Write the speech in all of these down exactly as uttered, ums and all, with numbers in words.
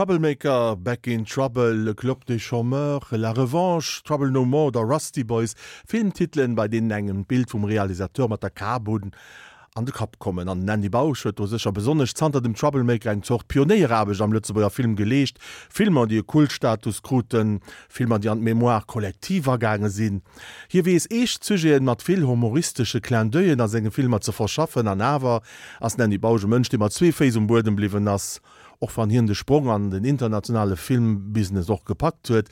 Troublemaker, Back in Trouble, Le Club des Chômeurs, La Revanche, Trouble No More oder Rusty Boys, Filmtitelen, bei deenen engem d'Bild vum Realisateur mat der Kap un an de Kapp kommen. An den Andy Bausch huet do sécher besonnesch zanter dem Troublemaker eng Zort Pionéieraarbecht am Lëtzebuerger Film geleescht, Filmer, déi e Kultstatus kruten, Filmer, déi an d'Mémoire collective agaange sinn. Hie weess eescht Sujeten mat vill humoristesche Clin d'oeil'en a senge Filmer ze verschaffen. An awer ass den Andy Bausch e Mënsch, dee mat zwee Féiss um Buedem bliwwen ass, och wann hien de Sprong an den internationale Filmbusiness och gepackt huet.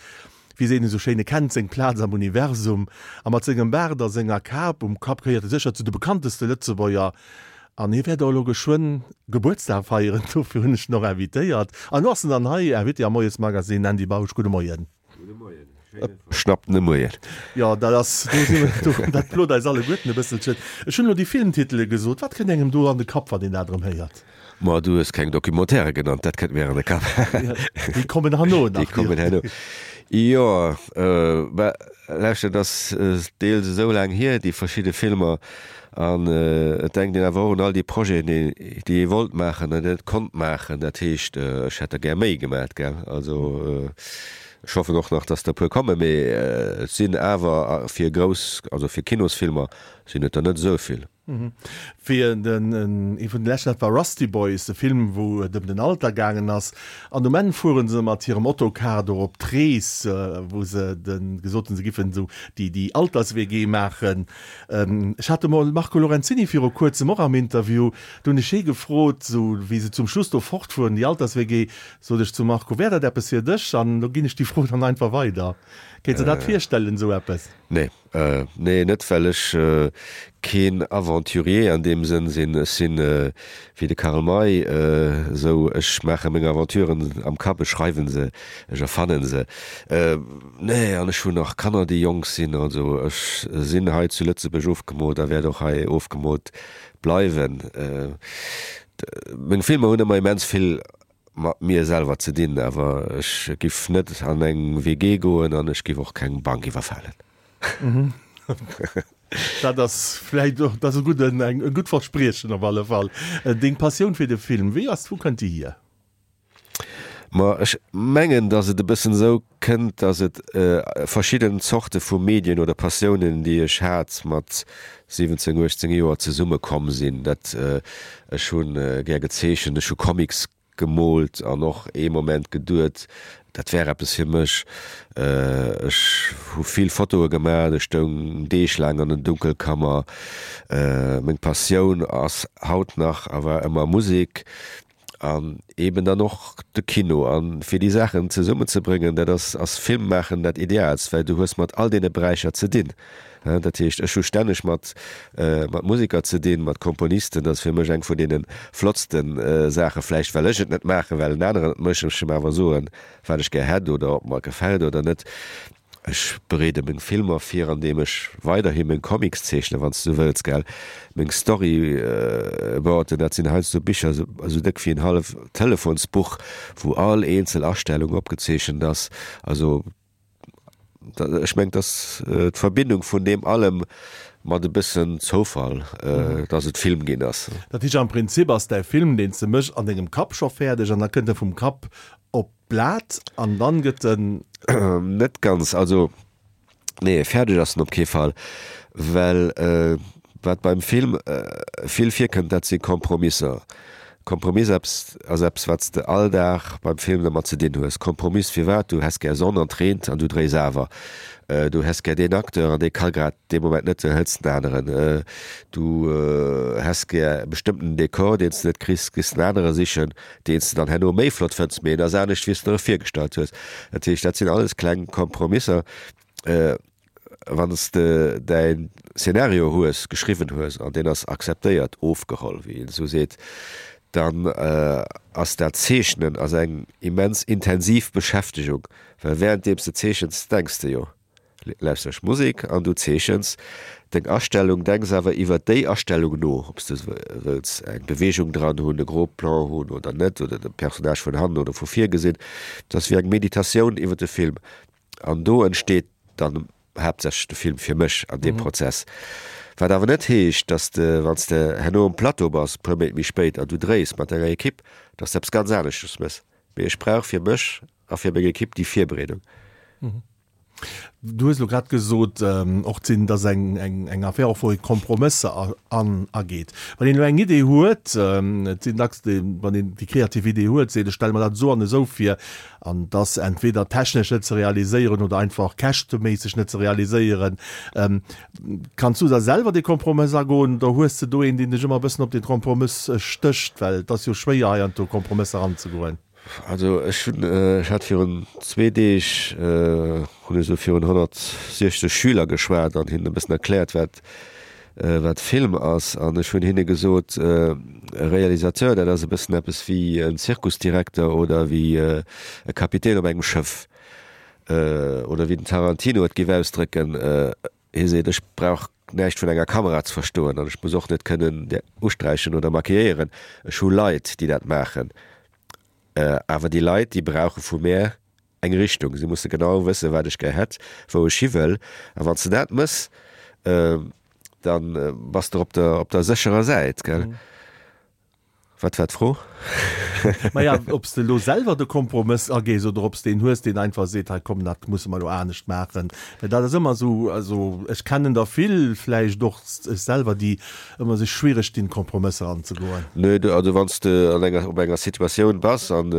Wéi seet een esou schéin, e kennt seng Plaz am Universum. A mat sengem Baart a senger Kap um Kapp gehéiert e sécher zu de bekannteste Lëtzebuerger. An hie wäert och elo geschwënn Gebuertsdag feieren, dofir hunn ech en och invitéiert. An elo ass en dann hei, Invité am Moiesmagazine. Andy Bausch, gudde Moien. Gudde Moien. Schnappt ne Moien. Jo, dat ass, do si mer, do, dat plot eis alleguerten e bësselchen. Ech hunn elo déi Filmtitele gesot. Wat kënnt engem do an de Kapp, wann een dat erëm héiert? Ma du hues keng Documentairë genannt, dat kënnt mir an de Kapp. Déi kommen herno nach. Déi kommen herno. Jo, mä lauschter, et ass deels esou laang hier, déi verschidde Filmer, an et denkt een awer och un all déi Projeten, déi ee wollt maachen an net konnt maachen. Dat heescht, ech hätt der gär méi gemat, gell. Also ech hoffen och nach, dass der e puer kommen, mee et sinn awer fir grouss, also fir Kinosfilmer sinn et der net esou vill. Fir den, ee vun de leschten, dat war Rusty Boys, e Film, wou et ëm den Alter gaangen ass. An um Enn fuere se mat hirem Ottocar do op d'Rees, wou se de gesot hunn, se giffen esou déi, déi Alters-WG maachen. Ech hat de Marco Lorenzini viru kuerzem och am Interview, do hunn ech hie gefrot, esou wéi se zum Schluss do fortfueren, déi Alters-WG, sot ech zum Marco, Wär dat eppes fir dech? An elo ginn ech déi Fro dann einfach weider. Kéints de dat virstellen, esou eppes? Nee, nee, net well ech keen Aventurier an deem Sënn sinn. Ech sinn wéi de Karl May, esou, ech maache meng Aventuren am Kapp, ech schreiwen se, ech erfannen se. Nee, an ech hunn nach Kanner, déi jonk sinn. Also ech sinn hei zu Lëtzebuerg ofgemot a wäert och hei ofgemot bleiwen. Meng Filmer hunn ëmmer immens vill mat mir selwer ze dinn, awer ech giff net an eng W G goen an ech giff och keng Bank iwwerfalen. Dat ass vläit och, dat ass e gudden, eng, e gutt Verspriechen op alle Fall. Deng Passioun fir de Film, wéi ass, wou kënnt déi hier? Ma ech mengen, datt et e bëssen esou kënnt, datt et verschidden Zorte vu Medien oder Passiounen, déi ech hat mat siwwenzéng, uechtzéng Joer, zesummekomm sinn. Dat, ech hu gär gezeechent, ech hu Comics gemoolt an och ee Moment geduet, dat wär eppes fir mech. Ech hu vill Fotoe gemaach, ech stoung Deeg laang an den Dunkelkammer. Meng Passioun ass haut nach a war ëmmer Musek an eeben dann och de Kino. A fir déi Saachen zesummenzebréngen, dat ass ass Film maachen dat Ideaalst, well du hues mat all deene Beräicher ze dinn. Dat heescht, ech hu stänneg mat mat Museker ze dinn, mat Komponisten. Dat ass fir mech eng vun deene flottste Saachen, vläicht well ech et net maachen, well en aneren et mécht, ech em awer soen, wat ech gär hätt oder ob mer gefält oder net. Ech bereede meng Filmer vir, andeem ech weiderhi meng Comics zeechnen, wann s du wëlls, gell, meng Storyboarden, dat sinn heiansdo Bicher esou déck wéi en halleft Telefonsbuch, wou all eenzel Astellung opgezeechent ass. Also ech mengen, et ass d'Verbindung vun deem allem mat e bëssen Zoufall, dass et Film ginn ass. Dat heescht, am Prinzip ass däi Film, deen s de méchs, an dengem Kapp scho fäerdeg an da kënnt e vum Kapp op d'Blat an dann gëtt en. Net ganz, also nee, fäerdeg ass en op kee Fall, well wat beim Film vill virkënnt, dat si Kompromisser. Kompromiss eppes ass eppes, wat s de all Dag beim Film dermat ze dinn hues. Kompromiss firwat? Du häss gär Sonn an 't reent an du dréis awer. Du häss gär deen Acteur an dee ka grad dee Moment net, du hëls den aneren. Du häss gär e bestëmmten Dekor, deen s de net kriss, gees en anere sichen, deen s de dann herno méi flott fënns, mee en ass anescht wéi s de der e virgestallt hues. Dat heescht, dat sinn alles kleng Kompromisser. Wann s de däin Szenario hues, geschriwwen hues an deen ass akzeptéiert, ofgeholl, wéi een esou seet, dann ass dat Zeechnen ass eng immens intensiv Beschäftegung, well wärenddeems de zeechens, denks de jo, lauschters Musek an du zeechens deng Astellung, denks awer iwwer déi Astellung no, ob s de wëlls eng Beweegung dran hunn, e Gros Plan hunn oder net, oder de Personnage vun hannen oder vu vir gesinn. Et ass wéi eng Meditatioun iwwer de Film an do entsteet dann haaptsächlech de Film fir mech an deem Prozess. Wat awer net heescht, dass de, wann s de herno um Plateau bass, e puer Méint méi spéit, an du dréis mat denger Ekipp, dass de eppes ganz aneschtes méchs. Mee ech brauch fir mech a fir meng Ekipp déi Virbereedung. Du hues elo grad gesot, och sinn, dass eng, eng, eng Affär och wou ee Kompromësser an, ageet. Wann een elo eng Idee huet, et sinn dacks déi, wann een déi kreativ Idee huet, seet ech stelle mer dat esou an esou vir, an et ass entweder technesch net ze realiséieren oder einfach käschteméisseg net ze realiséieren. Kanns du da selwer dee Kompromëss agoen oder hues de do een, deen dech ëmmer e bëssen op dee Kompromëss stécht, well et ass jo schwéier heiansdo Kompromësser anzegoen? Also ech hunn, ech hat virun zwee Deeg, hunn ech esou virun honnertsiechzeg Schüler geschwat an hinnen e bëssen erkläert, wat, wat Film ass. An ech hunn hinne gesot, e Realisateur, dat ass e bëssen eppes wéi en Zirkusdirekter oder wéi e Kapitän op engem Schëff. Oder wéi den Tarantino et géif ausdrécken, hie seet, ech brauch näischt vun enger Kamera ze verstoen an ech muss och net kënnen usträichen oder maquilléieren. Ech hu Leit, déi dat maachen. Awer déi Leit, déi brauche vu mär eng Richtung. Si musse genau wëssen, wat ech gär hätt, wou ech hi wëll. A wann s de dat mëss, da bass de op der, op der sécherer Säit, gell? Wat war d'Fro? Maja, ob s de elo selwer de Kompromëss agees oder ob s de een hues, deen einfach seet, hei komm, dat musse mer elo anescht maachen. Well dat ass ëmmer esou, also ech kennen der vill, vläicht och ech selwer, déi ëmmer sech schwiereg dinn, Kompromësser anzegoen. Nee, du, also wann s de an enger, op enger Situatioun bass an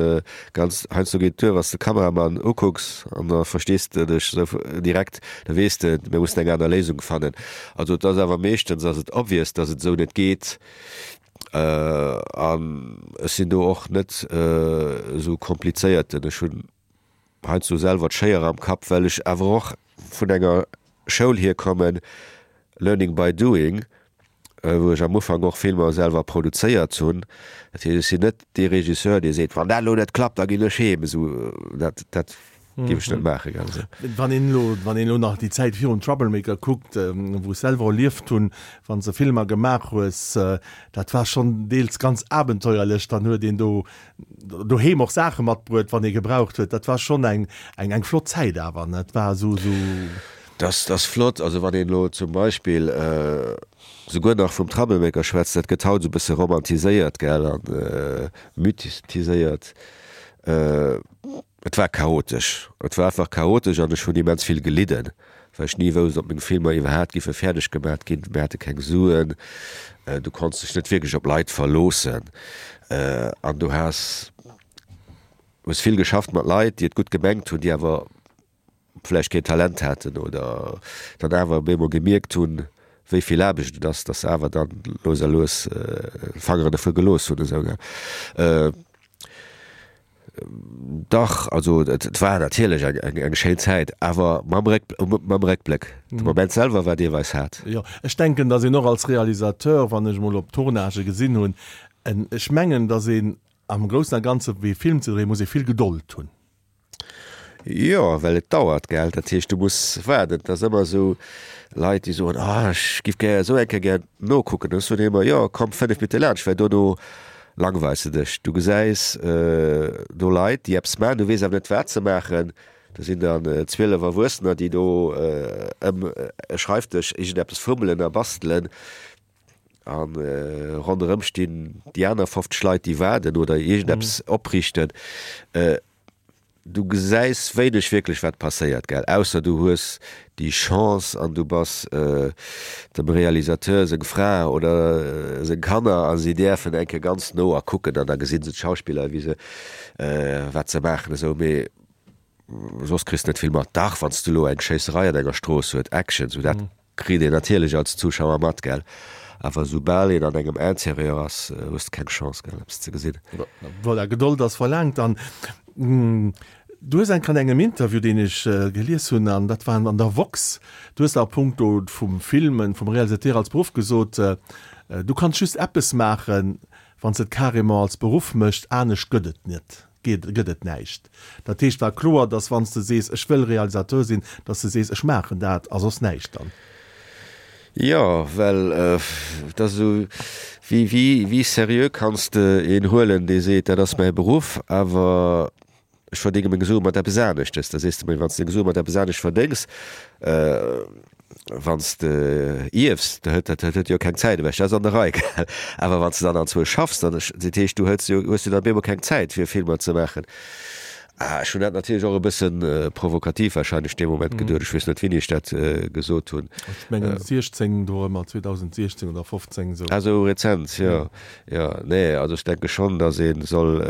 ganz, heiansdo geet et duer, wann s de Kameramann ukucks an da verstees de dech esou direkt, da weess de, mir mussen eng aner Léisung fannen. Also et ass awer meeschtens ass et obvious, dass et esou net geet. An ech sinn do och net esou komplizéierten. Ech hunn heiansdo selwer d'Schéier am Kapp, well ech awer och vun enger Schoul hierkommen, learning by doing, wou ech am Ufank och Filmer selwer produzéiert hunn. Dat heescht, ech sinn net dee Regisseur, dee seet, wann dat elo net klappt, da ginn ech heem. Esou, dat, dat géif ech net maachen, gell. Esou. Wann een elo, wann een elo nach déi Zäit virum Troublemaker kuckt, wou ech selwer erlieft hunn, wann s de Filmer gemaach hues, dat war schonn deels ganz abenteuerlech. Dann huet een do doheem och Saache matbruet, wann ee gebraucht huet. Dat war schonn eng, eng, eng flott Zäit awer, ne? Et war esou, esou. Dat ass flott. Also wann een elo zum Beispill souguer nach vum Troublemaker schwätzt, dat gëtt haut esou e bësse romantiséiert, gell, a mythiséiert. Et war chaotesch. Et war einfach chaotesch an ech hunn immens vill gelidden, well ech ni wousst, ob meng Filmer iwwerhaapt giffe fäerdeg gemat ginn. Mir hate keng Suen, du konns dech net wierklech op Leit verloossen an du has hues vill geschafft mat Leit, déi et gutt gemengt hunn, déi awer vläicht keen Talent haten oder dann awer op eemol gemierkt hunn, wéi vill Aarbecht et ass, dass se awer dann lues a lues d'Fangeren dervu gelooss hunn. Esou, gell. Dach, also et war natierlech eng, eng, eng schéin Zäit, awer mam Réck, mam Réckbléck. De Moment selwer war deelweis haart. Jo, ech denken, dass een och als Realisateur, wann ech emol op Tournagë gesinn hunn, en, ech mengen, dass een am Groussen a Ganze wéi e Film ze dréien, muss ee vill Gedold hunn. Jo, well et dauert, gell. Dat heescht, du muss waarden. Et ass ëmmer esou, Leit, déi soen, Ah, ech giff gär esou eng Kéier gär nokucken. Ech soen ëmmer, Jo, komm fënnef Minutte laanscht, well dono langweils de dech. Du gesäis do Leit, déi eppes maachen, du weess awer net, wat se maachen. Do sinn dann zwielef Erwuessener, déi do ëm e Schreifdësch iergendeppes fummelen a bastelen. A ronderëm stinn déi aner fofzeg Leit, déi waarden oder iergendeppes opriichten. Du gesäis wéineg wierklech wat passéiert, gell, ausser du hues déi Chance an du bass dem Realisateur seng Fra oder seng Kanner a si däerfen eng Kéier ganz no a kucken an da gesinn se d'Schauspiller wéi se wat se maachen esou, mee soss kriss de net vill mat. Dach, wann s de elo eng Schéisserei an enger Strooss huet, Action, sou dat Kritt een natierlech als Zuschauer mat, gell? Awer soubal een an engem Interieur ass, hues de keng Chance, gell, eppes ze gesinn. Voilà, Gedold ass verlaangt. An du hues enk an engem Interview, deen ech gelies hunn, an dat war an der Woxx, du hues a puncto vum Filmen, vum Realisateur als Beruff gesot, du kanns just eppes maachen, wann s de et carrément als Beruff méchs, anescht gëtt et net. Geet, gëtt et näischt. Dat heescht, war kloer, dass wann s de sees, ech wëll Realisateur sinn, dass de sees, ech maachen dat a soss näischt dann. Jo, well et ass esou, wéi, wéi, wéi seriö kanns de een huelen, dee seet, dat ass mäi Beruff, awer ech verdénge meng Sue mat eppes aneschtes. Da sees de, mee wann s de deng Sue mat eppes anescht verdéngs, Wann s de ierfs, da huet dat huet jo keng Zäit ewech, dat ass an der Rei, gell. Awer wann s de dann anzwousch schaffs, dann, dat heescht, du hues jo, hues jo dann op eemol keng Zäit fir Filmer ze maachen. Ah, ech hunn dat natierlech och e bëssen provokativ wahrscheinlech dee Moment geduet. Ech weess net, wéini ech dat gesot hunn. Ech mengen siechzéng dorëmmer, zweedausentsiechzéng oder fofzéng esou. Ah, esou rezent, jo. Jo, nee, also ech denke schonn, datt ee soll,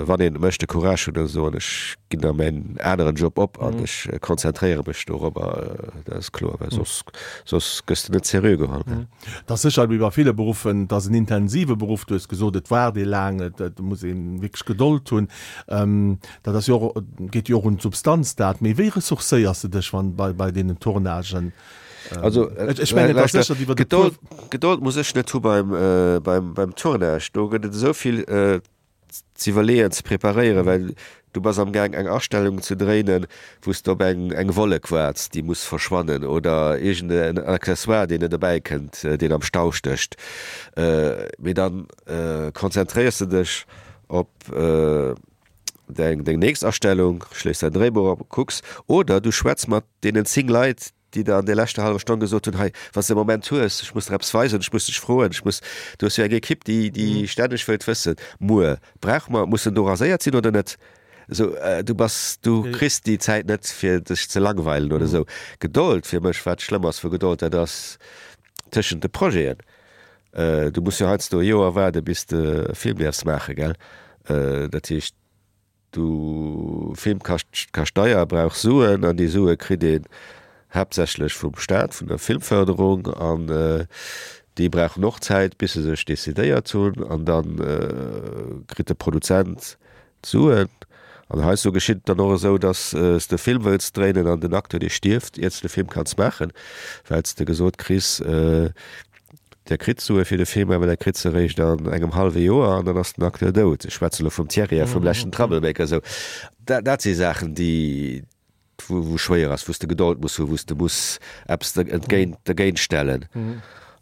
wann een et mécht, de Courage hunn a soen, ech ginn da mäin aneren Job op an ech konzentréiere mech dorobber. Dat ass kloer, well soss, soss gëss de net seriö geholl. Et ass sécher wéi bei ville Beruffen, et ass en intensive Beruff. Du hues gesot, et waart ee laang, et, et muss ee wierklech Gedold hunn. Dat ass jo och, geet jo och un d'Substanz dat. Mee wéi ressourcéiers de dech wann, bei, bei deenen Tournagen? Also, ech mengen, et ass sécher iwwer e puer. Gedold muss ech net hu beim, beim, beim Tournage. Do gëtt et esou vill z'iwwerleeën, ze preparéieren, well du bass am Gaang eng Astellung ze dréinen, wou s de op eng eng Wollek waarts, déi muss verschwannen, oder iergend en Accessoire, deen net erbäi kënnt, deen am Stau stécht. Mee dann konzentréiers de dech op deng deng nächst Astellung, schléiss däin Dréibuch op, kucks, oder du schwätz mat deenen zéng Leit, déi der an där leschter hallwer Stonn gesot hunn, hei, wann s de e Moment hues, ech muss der eppes weisen, ech muss dech froen, ech muss, du hues jo eng Ekipp, déi, déi stänneg wëllt wëssen, muer, brauche mer, muss en do raséiert sinn oder net? Esou, du bass, du kriss déi Zäit net, fir dech ze langweilen oder esou. Gedold fir mech, wat schlëmm ass vu Gedold, dat ass tëschent de Projeten. Du muss jo heiansdo e Joer waarde bis de e Film däerfs maachen, gell? Dat heescht, Du Film kascht kascht deier, brauch Suen an déi Sue kritt een haaptsächlech vum Staat, vun der Filmförderung an déi brauchen och Zäit bis se sech decidéiert hunn an da kritt de Produzent d'Suen. An heiansdo geschitt et dann och esou, datt s de e Film wëlls dréinen an den Acteur dee stierft iert s de de Film kanns maachen, well s de gesot kriss, Der kritt Sue fir de Film, awer der kritt se eréischt an engem hallwe Joer an dann ass den Acteur dout. Ech schwätze elo vum Thierry a vum leschten Troublemaker. Esou, dat, dat si Saachen, déi, wou, wou schwéier ass, wou s de Gedold muss hunn, wou s de muss eppes entgéint, dergéint stellen.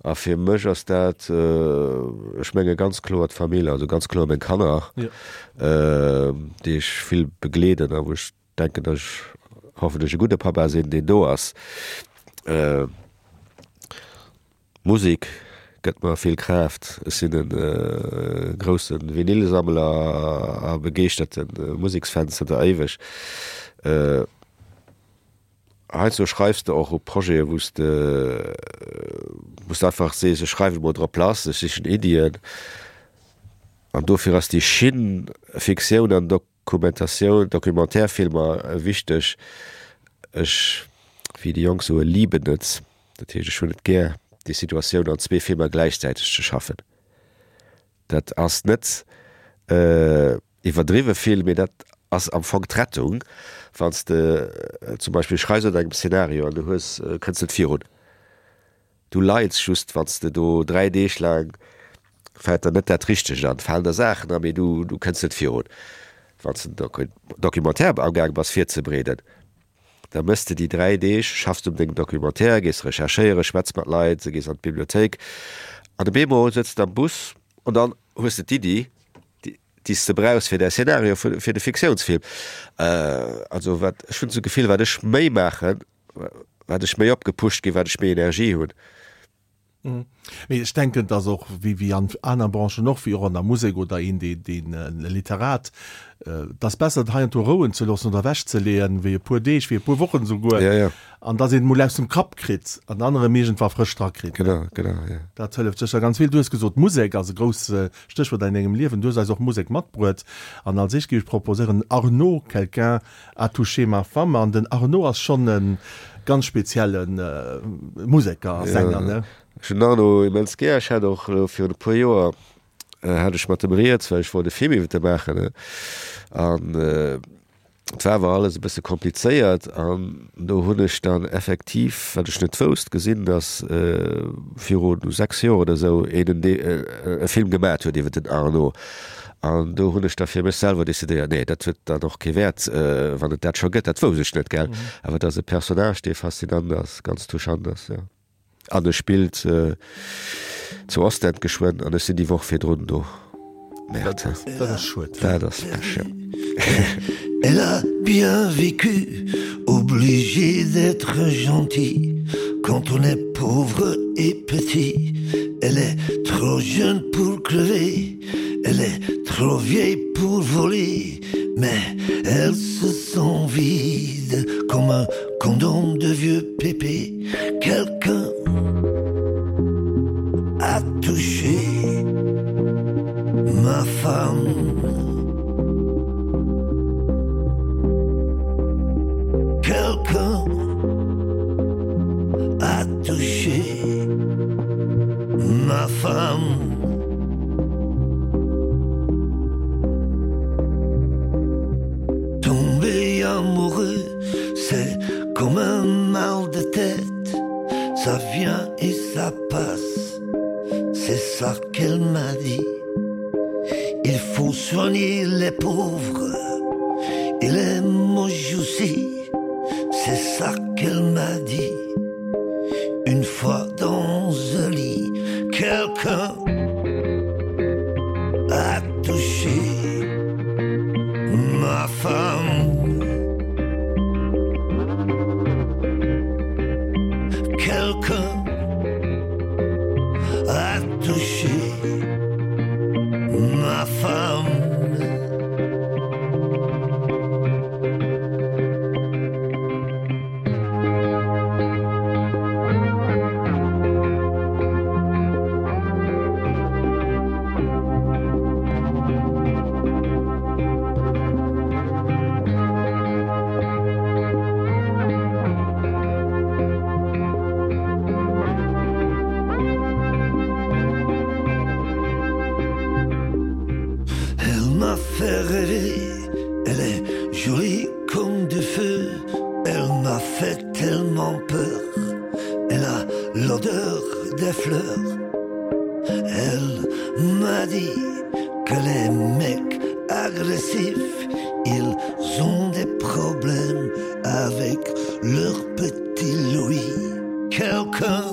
A fir mech ass dat, ech menge ganz kloer d'Famill, also ganz kloer meng Kanner, déi ech vill begleeden a wou ech denken, datt ech hoffentlech e gudde Papa sinn, deen do ass. Musek gëtt mer vill Kraaft. Ech sinn e grousse Vinylsammler a begeeschterte Museksfan zënter éiweg. Heiansdo schreifs de och u Projete wou s de wou s de einfach sees, ech schreiwen emol drop lass, ech sichen Iddien. An dofir ass déi Schinn Fiktioun an Dok. Dokumentatioun, Documentaire-Filmer wichteg. Ech, wéi déi Jonk soen, lieben et, dat heescht ech hunn et gär, déi Situatioun an zwee Filmer gläichzäiteg ze schaffen. Dat ass net iwwerdriwwe vill, mee dat ass am Fong d'Rettung, wann s de zum Beispill schreifs un engem Szenario an du hues, kënns net virun. Du leits just, wann s de do dräi Deeg laang, fält der net dat Richtegt an, falen der Saachen an, mee du, du kënns net virun. Wann s de en Documentaire amgaang bass virzebereeden, da méchs de déi dräi Deeg, schaffs de un dengem Documentaire, gees recherchéieren, schwätz mat Leit, gees an d'Bibliothéik an op eemol sëtz de am Bus an dann hues de d'Iddi, déi s de brauchs fir däi Szenario fir de Fiktiounsfilm. Also wat, ech hunn esou d'Gefill, wat ech méi maachen, wat ech méi opgepusht ginn, wat ech méi Energie hunn. Mee ech denken, dass och, wéi wéi an aner Branchen och, wéi och an der Musek oder een, dee deen e Literat, et ass besser, et heiansdo rouen ze loossen oder ewechzeleeën, wéi e puer Deeg, wéi e puer Wochen esouguer, Ja, ja. an dass een et emol aus dem Kapp kritt an dann erëm iergendwa frësch drakritt. Genau, genau, ja. Dat hëlleft sécher ganz vill. Du hues gesot, Musek ass e grouss Stéchwuert an dengem Liewen. Du hues eis och Musek matbruet. An als éischt géif ech proposéieren, Arnaud, Quelqu'un a touché ma femme. An den Arnaud ass schonn e ganz spezielle Museker a Sänger, ne? Ech hunn den Arnaud immens gär. Ech hat och elo virun e puer Joer hat ech mat em rieds, well ech wollt e Film iwwer e maachen. An et war awer alles e bësse komplizéiert. An do hunn ech dann effektiv, wat ech net wousst, gesinn, datt viru sechs Joer oder esou een e Film gemat huet iwwer den Arnaud. An do hunn ech da fir mech selwer decidéiert, nee, dat huet dann och kee Wäert, wann et dat scho gëtt. Dat wousst ech net, gell. Awer et ass e Personnage, dee faszinant ass, ganz touchant ass, jo. An e spillt zu Ostend geschwënn an ech sinn déi Woch virdrun do. Merde. Dat ass schued. Dat ass Pech, jo. Elle a bien vécu, obligée d'être gentille. Quand on est pauvre et petit, elle est trop jeune pour crever, elle est trop vieille pour voler, mais elle se sent vide comme un condom de vieux pépé. Quelqu'un a touché ma femme. Quelqu'un a touché ma femme. Tomber amoureux, c'est comme un mal de tête, ça vient et ça passe. C'est ça qu'elle m'a dit. Il faut soigner les pauvres et les moches aussi. C'est ça qu'elle m'a dit. Une fois dans un lit, quelqu'un a touché ma femme. Quelqu'un a touché ma femme. Elle m'a fait rêver, elle est jolie comme du feu, elle m'a fait tellement peur, elle a l'odeur des fleurs. Elle m'a dit que les mecs agressifs, ils ont des problèmes avec leur petit Louis. Quelqu'un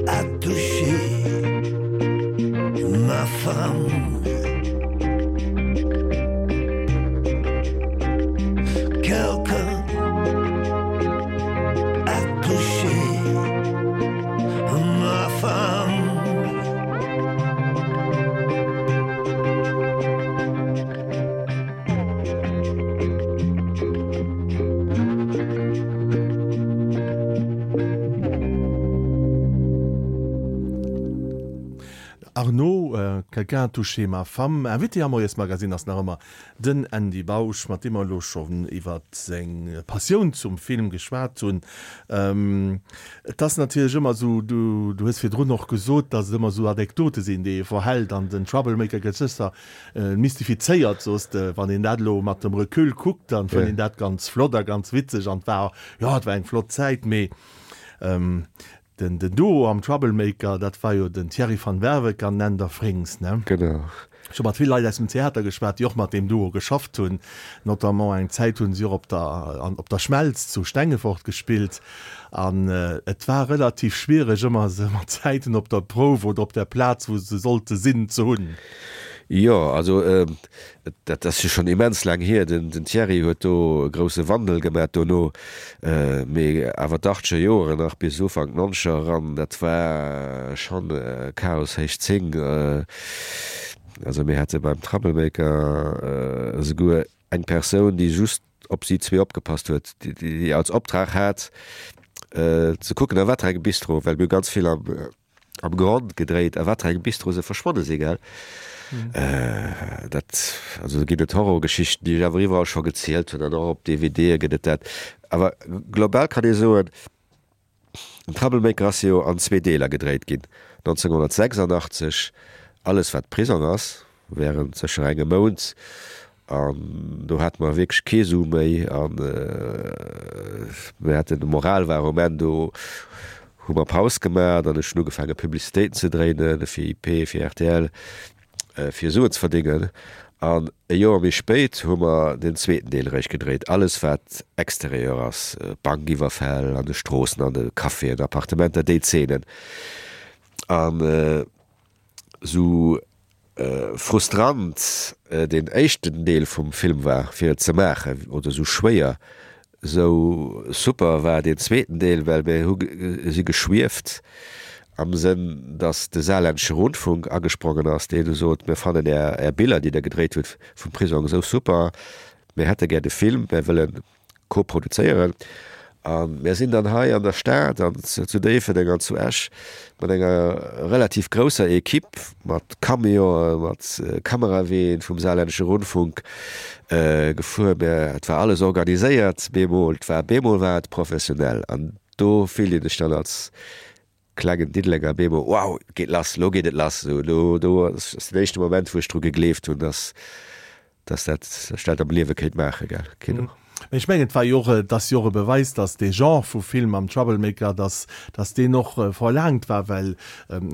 a touché ma femme. Quelqu'un a touché ma femme. Arnaud, Quelqu'un a touché ma femme. Invité am Moiesmagazin ass nach ëmmer den Andy Bausch, mat deem mer elo schonn iwwer seng Passioun zum Film geschwat hunn. Et ass natierlech ëmmer esou, du, du hues virdrun och gesot, datt et ëmmer esou Anekdote sinn, déi ee verhält an den Troublemaker gëtt sécher mystifizéiert, soos de. Wann een dat elo mat dem Recul kuckt, dann fënnt een dat ganz flott a ganz witzeg an et war, jo, et war eng flott Zäit, mee Den den Duo am Troublemaker, dat war jo den Thierry van Werveke an Nender Frings, ne? Genau. Ech hu mat vill Leit aus dem Theater geschwat, déi och mat deem Duo geschafft hunn. Notamment eng Zäit hunn si och op der an op der Schmelz zu Stengefort gespillt. An et war relativ schwiereg ëmmer se mat Zäiten op der Prouf oder op der Plaz, wou se sollte sinn, ze hunn. Jo, also dat ass jo schonn immens laang hier. Den Thierry huet do e grousse Wandel gemat dono, mee awer d'Achtscher Joren nach bis Ufank d'Nonzeger eran, dat war schonn Chaos héich zéng. Also mir hate beim Troublemaker esouguer eng Persoun, déi just op si zwee opgepasst huet, déi als Optrag hat ze kucken a wat fir engem Bistro, well mir hu ganz vill am am Grond gedréit, a wat fir engem Bistro se verschwonne si, gell? Dat, also do ginn et Horrorgeschichten, déi ech awer iwwerall scho gezielt hunn, an och op DVDe gëtt et dat. Awer global kann ee soen, den Troublemaker ass jo an zwee Deeler gedréit ginn, nonzénghonnertsechsandachtzeg alles wat Prisong ass, während sécher engem Mount, an do hate mer wierklech kee Su méi an mir haten, d'Moral war um Enn, do hu mer Paus gemaach an ech hunn ugefaange Publicitéiten ze dréinen fir I P, fir R T L, fir Suen ze verdéngen. An e Joer méi spéit hu mer den zweeten Deel eréischt gedréit, alles wat Exterieur ass, Bankiwwerfäll an de Stroossen, an de Caféen, Appartementer, déi Zeenen. An sou frustrant deen éischten Deel vum Film war fir et ze maachen, oder sou schwéier, Sou super war deen zweeten Deel, well mir hu si geschwieft am Sënn, datt de Saarländische Rundfunk agesprongen ass, deen du sot, mir fannen är, är Biller, déi der gedréit hutt vum Prisong esou super, mir hätte gär de Film, mir wëlle koproduzéieren. A mir sinn dann hei an der Stad an zu Déifferdeng an zu Esch mat enger relativ grousser Equipe, mat Camionen, mat Kameraween vum Saarländische Rundfunk gefuer. Mä et war alles organiséiert bemol, et war bemol war et professionell. An do fillt een sech dann als klengen Diddelenger bemol, wow, et geet lass, lo geet et lass. Esou, do do ass den éischte Moment, wou ech dru gegleeft hunn, dass dass dat ech dat am Liewe kéint maachen, gell, Kino. Mee ech mengen, et war jo och, et ass jo och e Beweis, dass dee Genre vu Film am Troublemaker, dass, dass deen och verlaangt war, well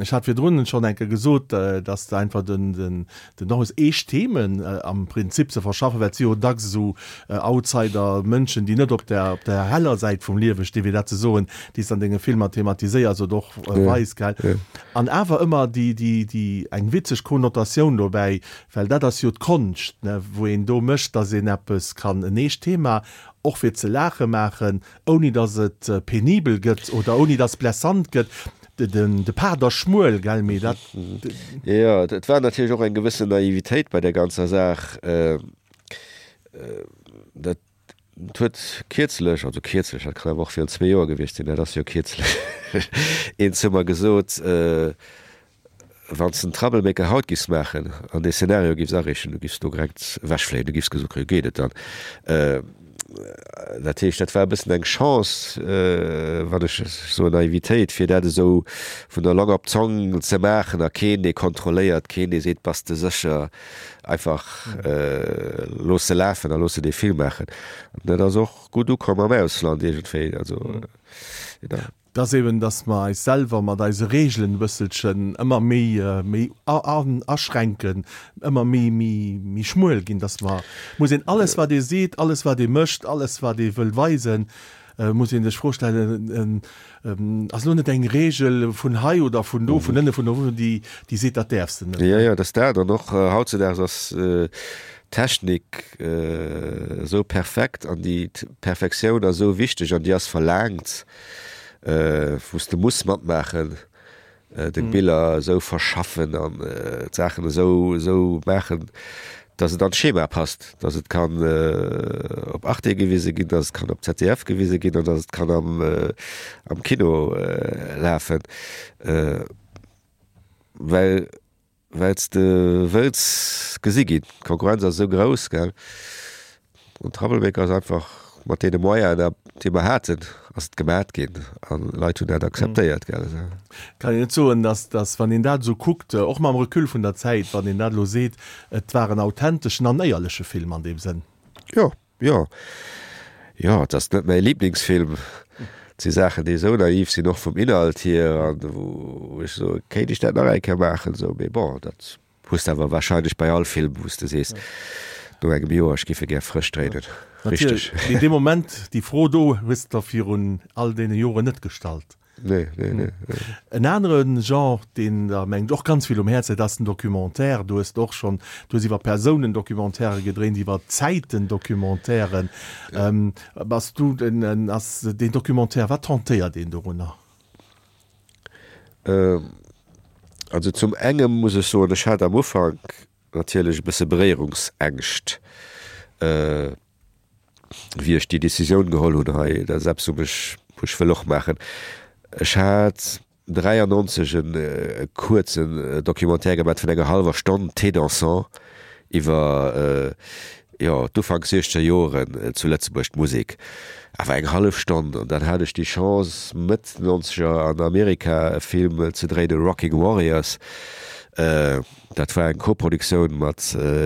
ech hat virdrun schonn eng Kéier gesot, dass de einfach den, den, den och hues, eescht Themen am Prinzip ze verschaffen, well et si jo dacks esou Outsider, Mënschen, déi net op der, op der heller Säit vum Liewe stinn, fir dat ze soen, déi s de an denge Filmer thematiséiers oder och weis, gell. An awer ëmmer déi, déi, déi eng witzeg Konnotatioun dobäi, Well dat ass jo d'Konscht, ne, wou een do mécht, dass een eppes kann, en eescht Thema, och fir ze laache maachen, ouni dass et penibel gëtt oder ouni dass blessant gëtt. De, den, de Pad ass schmuel, gell, mee dat. Jo, et war natierlech och eng gewëssen Naivitéit bei där ganzer Saach. Dat huet kierzlech, also kierzlech, dat kann awer och virun zwee Joer gewiescht sinn, dat ass jo kierzlech, een zu mer gesot, Wann s de den Troublemaker haut giffs maachen an dee Szenario giffs areechen, du giffs do direkt ewechfléien, du giffs gesot kréien, geet et dann? Dat heescht, dat war e bëssen eng Chance, wann ech soen Naivitéit, fir dat esou vun der Long op d'Zong ze maachen a keen, dee kontrolléiert, keen, dee seet, bass de sécher, einfach looss se lafen a looss se dee Film maachen. An dat ass och gutt ukomm am Ausland iergendwéi. Also, jo. Et ass eben, dass mer eis selwer mat eise Regeln e bësselchen ëmmer méi, méi aschränken, ëmmer méi, méi, méi schmuel ginn, dass mer, muss een alles wat ee seet, alles wat ee mécht, alles wat ee wëll weisen, muss ee sech d'Fro stellen, ass elo net eng Regel vun hei oder vun do, vun ënne, vun uewen, déi, déi seet, dat däerfs de net. Jo, jo, et ass dat. An och hautzedaags ass d'Technik esou perfekt an déi Perfektioun ass esou wichteg an déi ass verlaangt. Wou s de muss matmaachen, deng Biller esou verschaffen an d'Saachen esou esou maachen, dass et an d'Schema passt, dass et kann op Arte gewise ginn, dass et kann op Z D F gewise ginn an dass et kann am am Kino lafen, well well s de wëlls gesi ginn. D'Konkurrenz ass esou grouss, gell. An Troublemaker ass einfach mat deene Moyenen, déi mer haten, ass et gemat ginn an Leit hunn dat akzeptéiert, gell. Kann een net soen, dass, dass wann een dat esou kuckt, och mam Recul vun der Zäit, wann een dat elo seet, et war en authenteschen an éierleche Film an deem Sënn? Jo, jo. Jo, et ass net mäi Liblingsfilm. Et si Saachen, déi esou naiv sinn, och vum Inhalt hier, an wou ech soen, kéint ech dat nach eng Kéier maachen, esou. Mee bon, dat hues de awer wahrscheinlech bei all Film, wou s de sees no engem Joer, ech géif e gär frësch dréinen. Richteg. Mee dee Moment, déi Fro do hues de der virun all deene Joren net gestallt. Nee, nee, nee, nee. En anere Genre, deen der, mengen ech, och ganz vill um Häerz läit, ass den Documentaire. Du hues och schonn, du hues iwwer Persounen Documentairë gedréint, iwwer Zäiten Documentairen. Bass du den, ass deen Documentaire, wat tentéiert een dorunner? Also zum engem muss ech soen, ech hat am Ufank natierlech e bësse Beréierungsängscht, wéi ech déi Decisioun geholl hunn hei, dat ass eppes, wou mech, wou ech wëll och maachen. Ech hat dräiannonzeg e kuerzen Documentaire gemat vun enger hallwer Stonn, Thé dansant, iwwer, jo, d'Ufanks siechzeger Joren zu Lëtzebuerg, d'Musek. Awer eng hallef Stonn. An dann hat ech déi Chance, Mëtt nonzeger an Amerika e Film ze dréinen, Rocking Warriors. Dat war eng Koproduktioun mat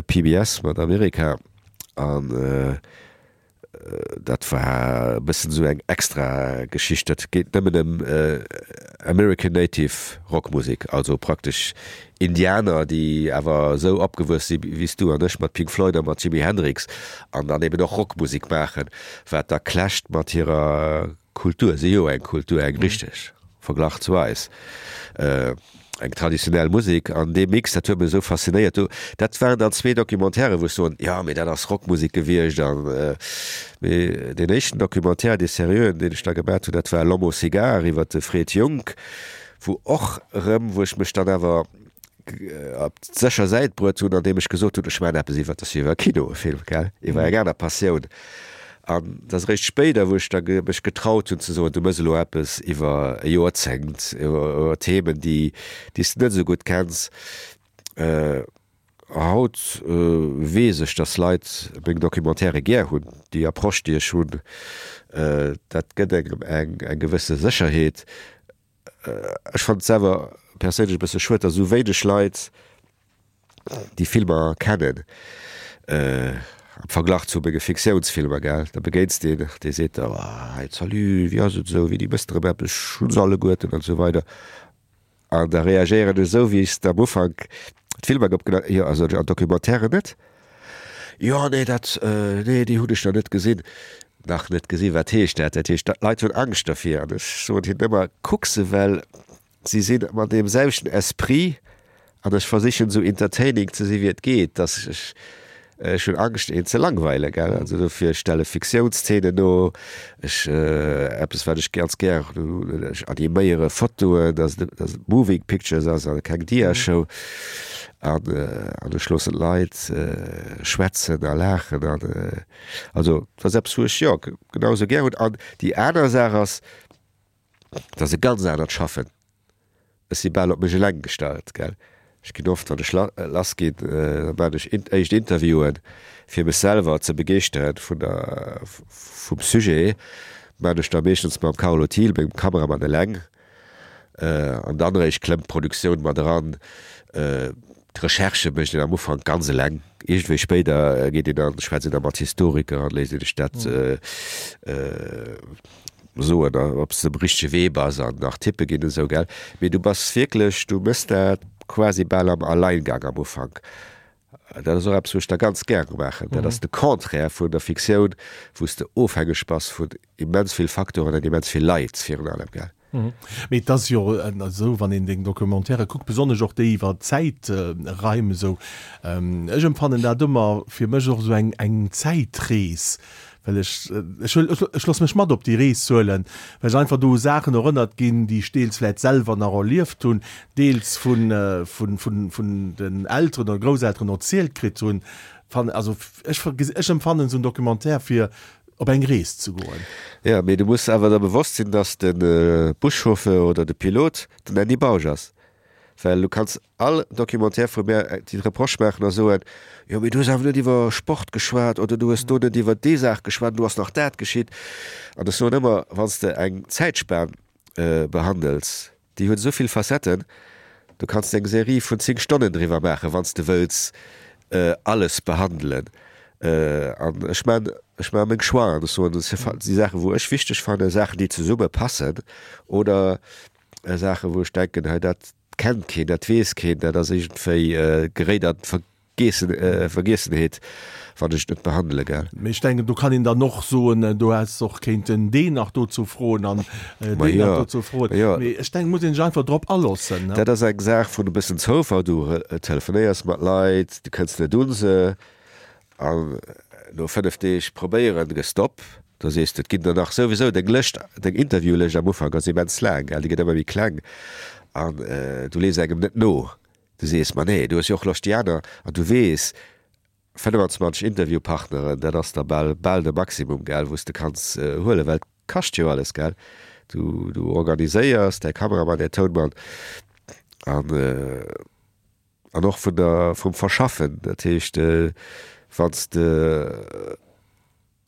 P B S, mat Amerika. An dat war e bëssen esou eng extra Geschicht. Dat geet nëmmen ëm American Native Rockmusek, also praktesch Indianer, déi awer esou opgewuess si wéi s du an ech mat Pink Floyd a mat Jimi Hendrix an dann eben och Rockmusek maachen, wat da clasht mat hirer Kultur. Si jo eng Kultur, eng richteg, verglach zu eis. eng traditionell Musek an dee Mix, dat huet mech esou faszinéiert. Do, dat waren dann zwee Documentairen, wou ech soen, jo, mee dat ass Rockmusek gewiescht an, mee deen éischten Documentaire, dee seriöen, deen ech da gemat hunn, dat war L'homme au cigare iwwer de Fred Junck, wou och erëm, wou ech mech dann awer op d'sécher Säit bruet hunn, andeem ech gesot hunn, ech maachen eppes iwwer, dat ass jo iwwer Kino e Film, gell, iwwer eng aner Passioun. An et ass eréischt spéider, wou ech da mech getraut hunn ze soen, du méchs elo eppes iwwer e Joerzéngt, iwwer Themen, déi déi s de net esou gutt kenns. Haut weess ech, dass Leit meng Documentairë gär hunn, déi Approche, déi ech hunn, dat gëtt engem eng gewësse Sécherheet. Ech fannen et selwer perséinlech e bësse schued, datt esou wéineg Leit déi Filmer kennen am Verglach zu menge Fiktiounsfilmer, gell. Da begéins de een, dee seet da, oh hey, salut, wéi ass et esou, wéini mëss de erëm eppes, ech hunn se alleguerten an esou weider. An da reagéieren ech esou, wéi ech s am Ufank d'Filmer opgenaht, jo, also an Documentairen net. Jo, nee, dat, nee, déi hunn ech nach net gesinn. Nach net gesinn, wat heescht dat? Dat heescht, d'Leit hunn Angscht dervir. An ech soen hinnen ëmmer, Kuck se, well si sinn mat deem selwechten Esprit an ech versichen esou entertaining ze sinn, wéi et geet, dass ech, ech hunn Angscht, een ze langweilen, gell. Also dofir, ech stelle Fiktiounszenen no, ech, eppes wat ech ganz gär hunn, ech animéiere Fotoen, dass et, dass et Moving Pictures ass a keng Diashow. An, an ech loossen d'Leit schwätzen a laachen an, also dat ass eppes wou ech, jo, genau esou gär hunn. An déi aner Saach ass, dat ass e ganz anert Schaffen. Ech si bal op mech eleng gestallt, gell. Ech ginn oft, wann ech lass ginn, da maachen ech éischt Interviewen, fir mech selwer ze begeeschteren vun der, vum Sujet. Maachen ech da meeschtens mam Carlo Thiel, mengem Kameramann, eleng. An dann eréischt klëmmt d'Produktioun mat eran. D'Recherchë mécht een am Ufank ganz eleng. Iergendwéi spéider geet een dann, schwätzt een da mat Historiker an léisst een sech dat soen, ob s de um richtege Wee bass an nach Tippe ginn esou, gell. Mee du bass wierklech, du méchs dat quasi bal am Alleingang am Ufank. Dat ass och eppes, wou ech da ganz gäre maachen. Dat ass de Contraire vun der Fiktioun, wou s de ofhängeg bass vun immens vill Faktoren an immens vill Leit virun allem, gell. Mee et ass jo esou, wann een deng Documentairë kuckt, besonnesch och déi iwwer Zäitraim esou, ech empfannen dat ëmmer fir mech och esou eng eng Zäitrees, well ech, ech huel, ech loosse mech mat op déi Rees huelen, well ech einfach do u Saachen erënnert ginn, déi ech deels vläit selwer nach erlieft hunn, deels vun, vun, vun, vun den Elteren oder Grousselteren erzielt kritt hunn. Fan, also ech, ech empfannen esou en Documentaire fir op eng Rees ze goen. Jo, mee du muss awer der bewosst sinn, dass de Buschauffeur oder de Pilot den Andy Bausch ass. Well du kanns all Documentaire vu mär déi Reproche maachen a soen, jo mee du hues awer net iwwer Sport geschwat oder du hues do net iwwer déi Saach geschwat an do ass nach dat geschitt. An ech soen ëmmer, wann s de eng Zäitspan behandels, déi huet esou vill Facetten, du kanns eng Serie vun zéng Stonnen driwwer maachen, wann s de wëlls alles behandelen. An ech maan, ech maan meng Choixen an ech soen, dat si Saachen, wou ech wichteg fannen, Saachen, déi zesumme passen oder Saachen, wou ech denken, hei dat kennt keen, dat weess keen, dat ass iergendwéi, geréit an d'Vergeessen, Vergiessenheet, wann ech et net behandele, gell. Mee ech denken, do kann een dann och soen, do häss och kéinten deen nach dozou froen an deen nach dozou froen. Mee ech denken, muss een sech einfach drop aloossen. Dat ass eng Saach vun e bëssen Zoufall. Du telefonéiers mat Leit, du kënns net un se. An no fënnef Deeg probéieren, gëss d'op. Da sees de, et ginn der nach souwisou. Deng Lëscht, deng Interviewlëscht am Ufank ass immens laang, gell, déi gëtt ëmmer méi kleng an du lees engem net no. Du sees, ma nee, du hues jo och Loscht déi aner, an du weess, fënnefenzwanzeg Interviewpartneren, dat ass da bal, bal de Maximum, gell, wou s de kanns huelen, well et kascht jo alles, gell. Du, du organiséiers däi Kameramann, däi Tounmann an. An och vun der, vum Verschaffen. Dat heescht, wann s de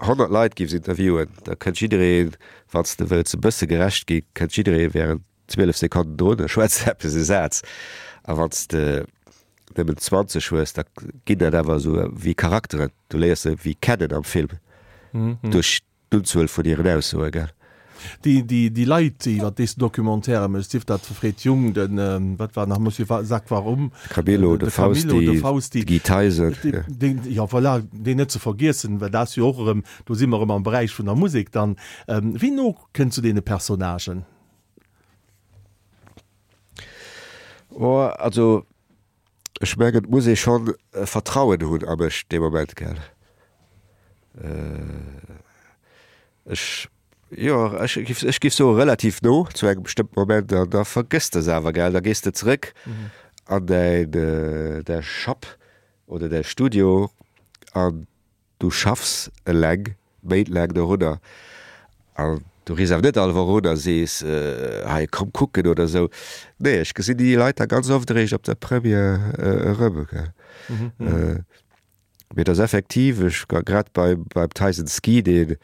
honnert Leit géifs interviewen, da kënnt jiddereen, wann s de wëlls e bësse gerecht ginn, kënnt jidderee während zwielef Sekonnen drun a schwätzt eppes, e Saz. A wann s de nëmmen zwanzeg hues, da ginn dat awer esou wéi Charakteren. Du léiers se wéi kennen am Film duerch d'Unzuel vun hiren Aussoe, gell? Déi, déi, déi Leit, iwwer déi s de Documentairë méchs, sief dat de Fred Jung, den, wat war nach, Monsieur Jacques Warum, De Camillo, de Camillo, de Fausti, Fausti, de Guy Theisen, dee, jo. deen, jo voilà, deen net ze vergiessen, well dat ass jo och erëm, do si mer erëm am Beräich vun der Musek dann. Wéi no kënns du deene Personnagen? Oh, also ech mengen, et muss ee schonn Vertrauen hunn a mech dee Moment, gell. Ech, jo, ech giff, ech giff soe relativ no zu engem bestëmmten Moment an da vergëss de se awer, gell, da gees de zeréck an däin, däi Schapp oder däi Studio an du schaffs eleng méintlaang dorunner an du riffs awer net all Woch un a sees, hei komm kucken oder esou. Nee, ech gesinn déi Leit da ganz oft eréischt op der Première erëm, gell. Mee et ass effektiv, ech war grad beim beim Tyson Ski, deen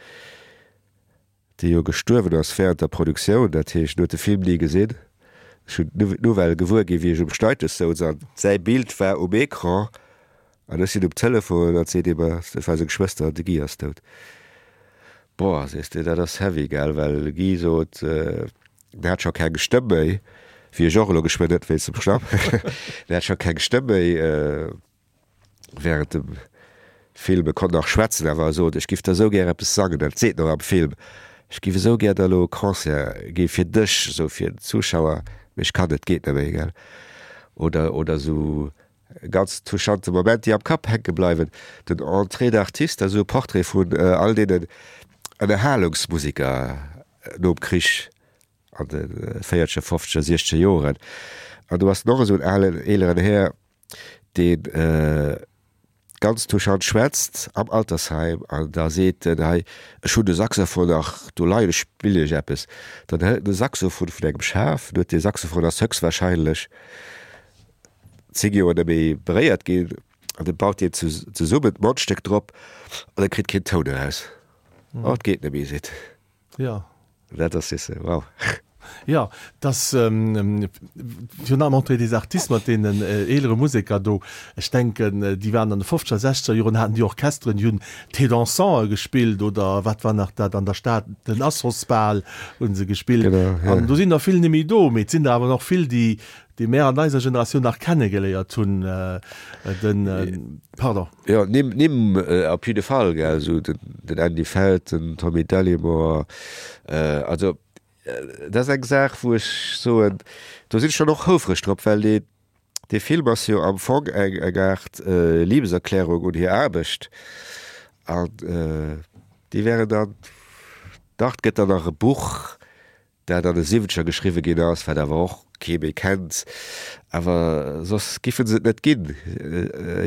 dee jo gestuerwen ass während der Produktioun, dat heescht, en huet de Film ni gesinn. Ech hunn d'Nouvelle gewuer ginn, wéi ech um Schneidtisch souz an säi Bild war um Ecran an ech sinn um Telefon an seet ee mer, dat war seng Schwëster, de Guy ass dout. Boah, sees de, dat ass heavy, gell, well de Guy sot, en hat scho keng Stëmm méi, wéi ech och elo geschwënn net wéinst dem Schnapp, en hat scho keng Stëmm méi. Während dem Film, e konnt nach schwätzen, awer e sot, ech giff der esou gär eppes sangen, dat seet en och am Film, ech giff esou gär der elo e Concert gi fir dech, esou fir den Zuschauer, mee ech kann net, geet net méi, gell. Oder, oder esou ganz touchante Moment, déi am Kapp hänke bleiwen, den Entrée d'artiste, esou e Portrait vun all deenen Ënnerhalungsmusiker nom Krich an de véierzeger, fofzeger, siechzeger Joren. An do ass och esou en alen, eeleren Här, deen ganz touchant schwätzt am Altersheim an da seet en, hei, ech hunn de Saxophon nach do leien, ech spillen iech eppes. Dann hëlt en de Saxophon vun engem Schaf, huet dee Saxophon ass höchstwahrscheinlech zéng Joer net méi beréiert ginn, an da baut deen zesummen, d'Mondstéck drop an e kritt keen Toun eraus. Oh, et geet net méi, seet en. Jo. Dat ass, sees de, wow. Jo, dass virun allem Entrée des artistes mat deenen eelere Museker do, ech denken, déi waren an de fofzeger, sechzeger Joren haten déi Orchesteren, déi hunn Thé dansante gespillt oder wat war nach dat an der Stad, den Assosbal hu se gespillt. An do sinn der vill net méi do, mee et sinn der awer nach vill, déi, déi mär an eiser Generatioun nach kennegeléiert hunn, den, pardon. Jo, Nimm, Nimm op jidde Fall, gell, esou den Andy Feld, den Tommy Dallimore, also dat ass eng Saach, wou ech soen, do sinn ech dann och houfreg drop, well dee, dee Film ass jo am Fong eng, eng Aart Liebeserklärung un hir Aarbecht an déi wären dann, dach, et gëtt dann nach e Buch, dat an de Siwwenzeger geschriwwe ginn ass, wat awer och kee méi kennt, awer soss giffe se et net ginn,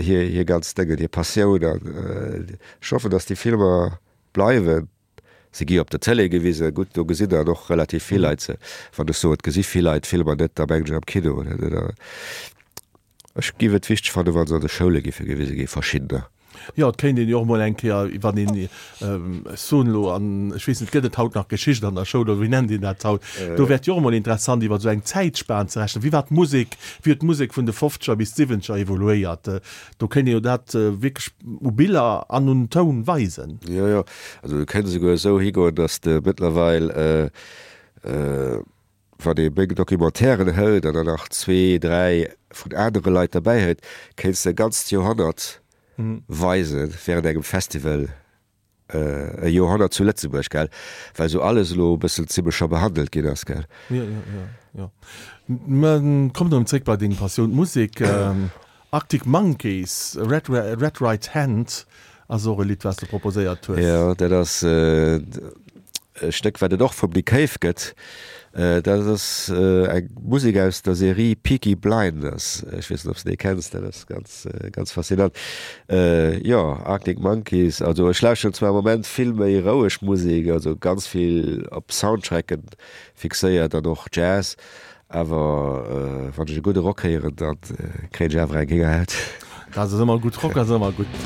hir, hir ganz Déngen, hir Passioun. An ech hoffen, datt déi Filmer bleiwen. Se gi op der Tëlee gewisen, gutt, do gesinn dann och relativ vill Leit se. Wann ech soen, et gesi vill Leit d'Filmer net, da mengen ech am Kino. Ech giff et wichteg fannen, wa se an de Schoule giffe gewise ginn, verschiddener. Jo, et kéint een jo och mol eng Kéier, wann een, ech soen elo, an ech weess net, gëtt et haut nach Geschicht an der Schoul oder wéi nennt een dat haut? Do wär et jo och emol interessant, iwwer esou eng Zäitspan ze rechnen. Wéi war d'Musek, wéi huet d'Musek vun de Fofzeger bis d'Siwwenzeger evoluéiert? Do kéint een jo dat wierklech u Biller an un Toun weisen. Jo, jo, also du kéints esouguer esou higoen, datt s de mëttlerweil, Wann ee meng Documentairen hëlt an dann nach zwee, dräi vun anere Leit derbäi hëlt, kéints de e ganzt Joerhonnert weisen während engem Festival, e Joerhonnert zu Lëtzebuerg, gell, well esou alles elo e bëssen zimlech scho behandelt ginn ass, gell. Jo, jo, jo, jo. Mä kommen erëm zréck bei deng Passioun, d'Musek. Arctic Monkeys, Red, Red Right Hand ass och e Lidd, wat s de proposéiert hues. Jo, dat ass e Stéck, wat et och vum Nick Cave gëtt. Dat ass eng Musek aus der Serie Peaky Blinders. Ech weess net, ob s de déi kenns. Dat ass ganz, ganz faszinant. Jo, Arctic Monkeys. Also ech lauschteren zwar am Moment vill méi roueg Musek, also ganz vill op Soundtracken fixéiert an och Jazz. Awer wann ech e gudde Rock héieren, da kréien ech awer eng Héngerhaut. Dat ass ëmmer gutt, Rock ass ëmmer gutt.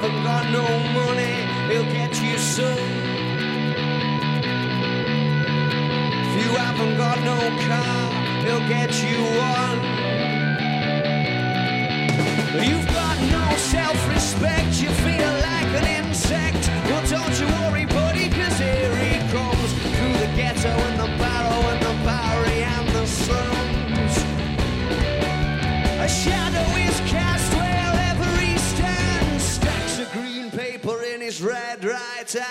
haven't got no money, he'll get you some. If you haven't got no car, he'll get you one. You've got no self-respect, you feel like an insect. Well, don't you worry, buddy, 'cause here he comes through the ghetto and the barrow and the Bowery and the slums. A shadow is cast wherever he stands. Stacks of green paper in his red right hand.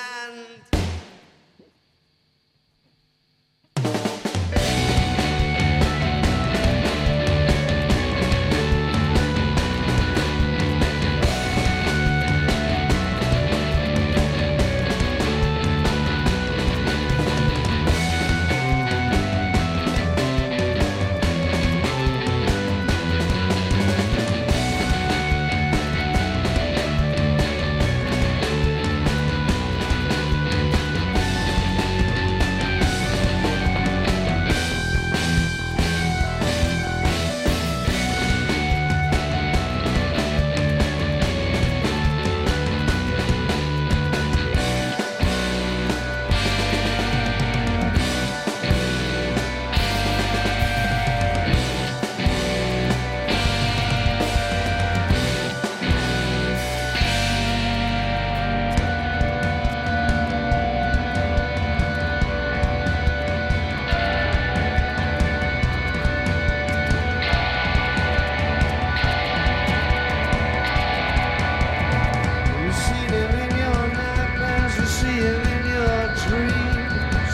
You see them in your nightmares, you see him in your dreams.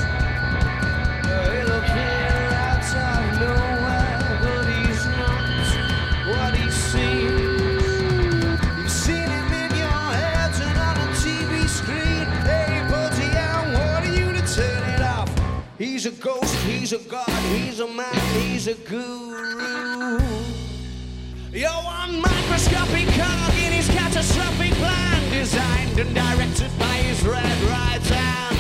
He'll appear out of nowhere, but he's not what he seems. You've seen him in your head and on a T V screen. Hey, buddy, I want you to turn it off. He's a ghost, he's a god, he's a man, he's a guru. You're one microscopic cog in his catastrophic plan, designed and directed by his red right hand.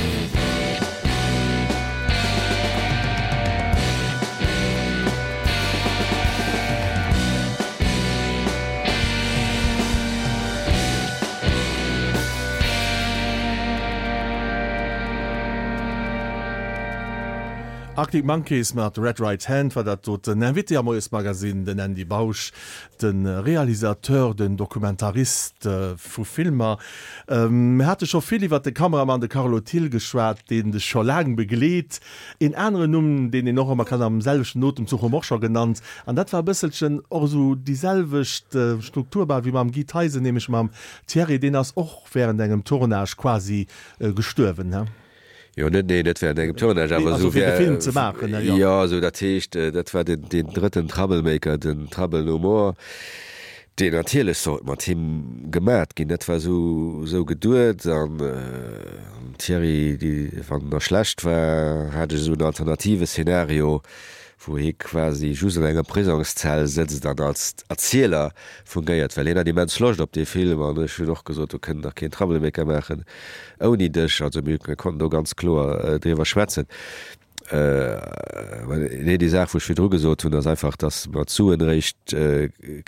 Arctic Monkeys mat Red Right Hand war dat doten. Den Invité am Moiesmagazin, den Andy Bausch, de Realisateur, den Dokumentarist vu Filmer. Mir hate scho vill iwwer de Kameramann, de Carlo Thill, geschwat, deen dech scho laang begleet. Een aneren Numm, deen een och ëmmer kann am selwechten Otemzuch hu mer och scho genannt, an dat war e bësselchen och esou déi selwecht Struktur bal wéi mam Guy Theisen, nämlech mam Thierry, deen ass och wärend engem Tournage quasi gestuerwen, he? Jo, net, nee, net während engem Tournage, awer Also esou fir de wär, Film ze maachen, ne, jo. Jo, esou dat heescht, dat war den, den drëtten Troublemaker, den Trouble No More, deen natierlech sollt mat him gemat ginn. Dat war esou, esou geduet an äh, Thierry, déi, wann er schlecht war, hat ech esou en alternative Szenario, wou hie quasi just an enger Prisongszell sëtzt an als Erzieler fungéiert, well hien hat immens Loscht op dee Film an ech hunn och gesot, do kënnt nach keen Troublemaker maachen ouni dech. Also mir konnten do ganz kloer driwwer schwätzen. Nee, déi Saach, wou ech virdru gesot hunn, ass einfach, datt mer d'Suen eréischt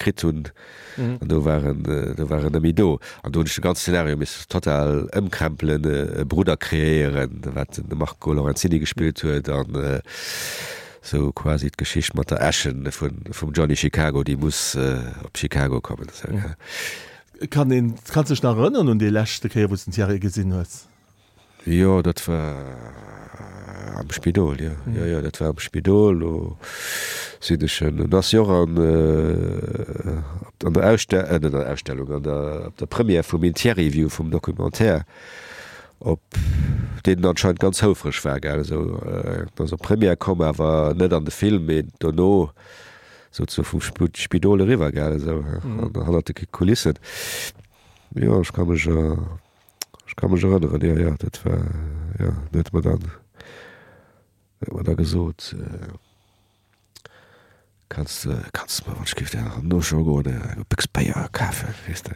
kritt hunn an do war en, do war en net méi do. An do hunn ech de ganze Szenario misse total ëmkrempelen, e Brudder kreéieren, wat den Marco Lorenzini gespillt huet an sou quasi d'Geschicht mat der Äschen vun, vum Johnny Chicago, déi muss op Chicago kommen. Kann een, kanns dech nach erënneren un déi leschte Kéier, wou s den Thierry gesinn hues? Jo, dat war am Spidol, jo. Jo, jo, dat war am Spidol. Do sinn ech en, en ass jo och an, an der Ausste-, net an der Ausstellung, an der, op der Première vum Interview vum Documentaire, op deen anscheinend ganz houfreg war, gell, esou, en ass op d'Première komm, awer net an de Film, mee dono souzesoe vum Spidol eriwwer, gell, esou, hannert de Kulissen. Jo, ech ka mech, ech ka mech erënneren, jo, jo, dat war, jo, en huet mer dann, huet mer da gesot, Kanns de, kanns de mer, wann ech géif der no scho goen, eng Béchs Béier kafen, weess de,